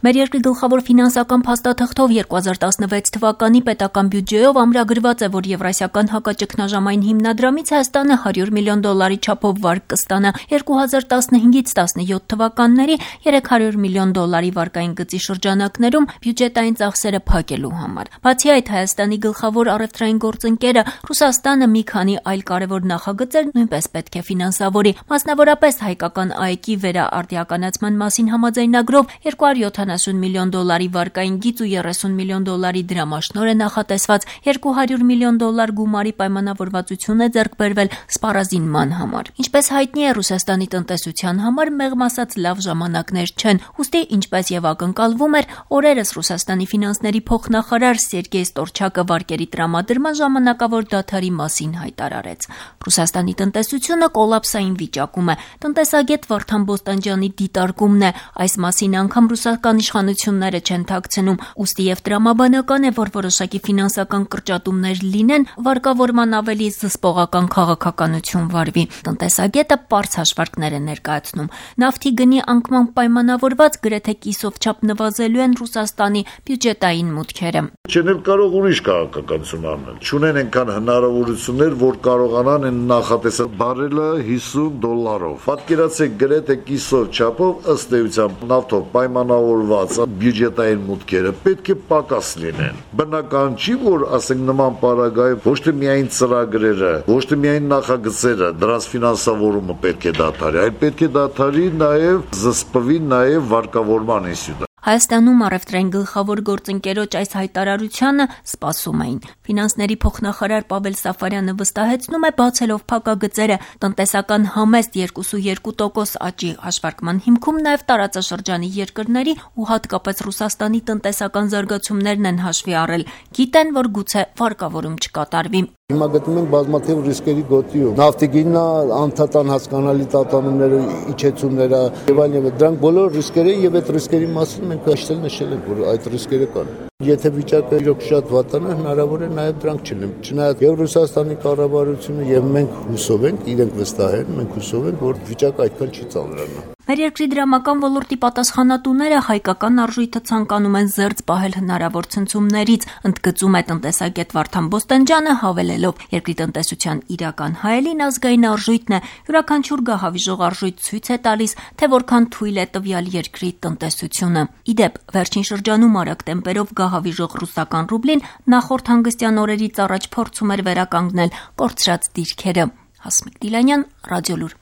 Մեր երկրի գլխավոր ֆինանսական փաստաթղթով 2016 թվականի պետական բյուջեով ամրագրված է, որ Եվրասիական հակաճգնաժամային հիմնադրամից Հայաստանը $100 միլիոն չափով վարկ կստանա, 2015-ից 17 թվականների $300 միլիոն վարկային գծի շրջանակներում բյուջետային ծախսերը փակելու համար։ Բացի այդ, Հայաստանի գլխավոր առևտրային գործընկերը Ռուսաստանը մի քանի այլ կարևոր նախագծեր նույնպես պետք է ֆինանսավորի, մասնավորապես հայկական ԱԵԿ-ի վերաարդիականացման մասին համաձայնագրով $270 միլիոն վարկային գիծ ու $30 միլիոն դրամաշնոր է նախատեսված, $200 միլիոն գումարի պայմանավորվածություն է ձեռք բերվել սպառազինման համար։ Ինչպես հայտնի է, Ռուսաստանի տնտեսության համար մեղմ ասած լավ ժամանակներ չեն, ուստի ինչպես եւ ակնկալվում էր, օրերս Ռուսաստանի ֆինանսների փոխնախարար Սերգեյ Ստորչակը վարկերի տրամադրման ժամանակավոր դադարի մասին հայտարարեց։ Ռուսաստանի տնտեսությունը կոլապսային վիճակում է։ Տնտեսագետ Վարդան Բոստանջյանի դիտարկումն է, այս մասին անգամ ռուսական իշխանությունները չեն թաքցնում, ուստի եւ տրամաբանական է, որ որոշակի ֆինանսական կրճատումներ լինեն, վարկավորման ավելի զսպողական քաղաքականություն վարվի։ Տնտեսագետը պարզ հաշվարկներ է ներկայացնում։ Նավթի գնի անկման պայմանավորված գրեթե կիսով չափ նվազելու են Ռուսաստանի բյուջետային մուտքերը։ Չեն կարող ուրիշ քաղաքականություն անել։ Չունեն այնքան հնարավորություններ, որ կարողանան այն նախատեսել բարելը $50։ Պատկերացրեք, գրեթե կիսով չափով ըստ էության նավթով պայմանավորված բյուջետային մուտքերը պետք է պակաս լինեն։ Բնական չի, որ ասենք նման պարագայում ոչ թե միայն ծրագրերը, ոչ թե միայն նախագծերը, դրանց ֆինանսավորումը պետք է դադարի, այլ պետք է դադարի նաև զսպվի նաև վարկավորման ինստիտուտը։ Հայաստանում առևտրային գլխավոր գործընկերոջ այս հայտարարությանը սպասում էին։ Ֆինանսների փոխնախարար Պավել Սաֆարյանը վստահեցնում է, բացելով փակագծերը, տնտեսական համեստ 2.2% աճի հաշվարկման հիմքում նաև տարածաշրջանի երկրների ու հատկապես Ռուսաստանի տնտեսական զարգացումներն են հաշվի առել։ Գիտեն, որ գուցե վարկավորում չկատարվի։ Հիմա գտնում ենք բազմաթիվ ռիսկերի գոտիում։ Նավթի գինը, անդադար հասկանալի տատանումները, իջեցումները եւ այլն, դրանք բոլոր ռիսկերը եւ այդ ռիսկերի մասին մենք նշել ենք, որ այդ ռիսկերը կան։ Եթե վիճակը իրոք շատ վատանա, հնարավոր է նաև դրանք չլինեն։ Չնայած եւ Ռուսաստանի կառավարությունը եւ մենք հուսով ենք, իրենք վստահ են, մենք հուսով ենք, որ վիճակը այդքան չի ծանրանա։ Մեր երկրի դրամական ոլորտի պատասխանատուները հայկական արժույթը ցանկանում են զերծ պահել հնարավոր ցնցումներից, ընդգծում է տնտեսագետ Վարդան Բոստանջյանը, հավելելով, երկրի տնտեսության իրական հայելին ազգային արժույթն է, յուրաքանչյուր գահավիժող արժույթ ցույց է տալիս, թե որքան թույլ է տվյալ երկրի տնտեսությունը։ Իդեպ, վերջին շրջանում արագ տեմպերով գահավիժող ռուսական ռուբլին նախորդ հանգստյան օրերից առաջ փորձում էր վերականգնել կորցրած դիրքերը։ Հասմիկ Դիլանյան, Ռադիոլուր։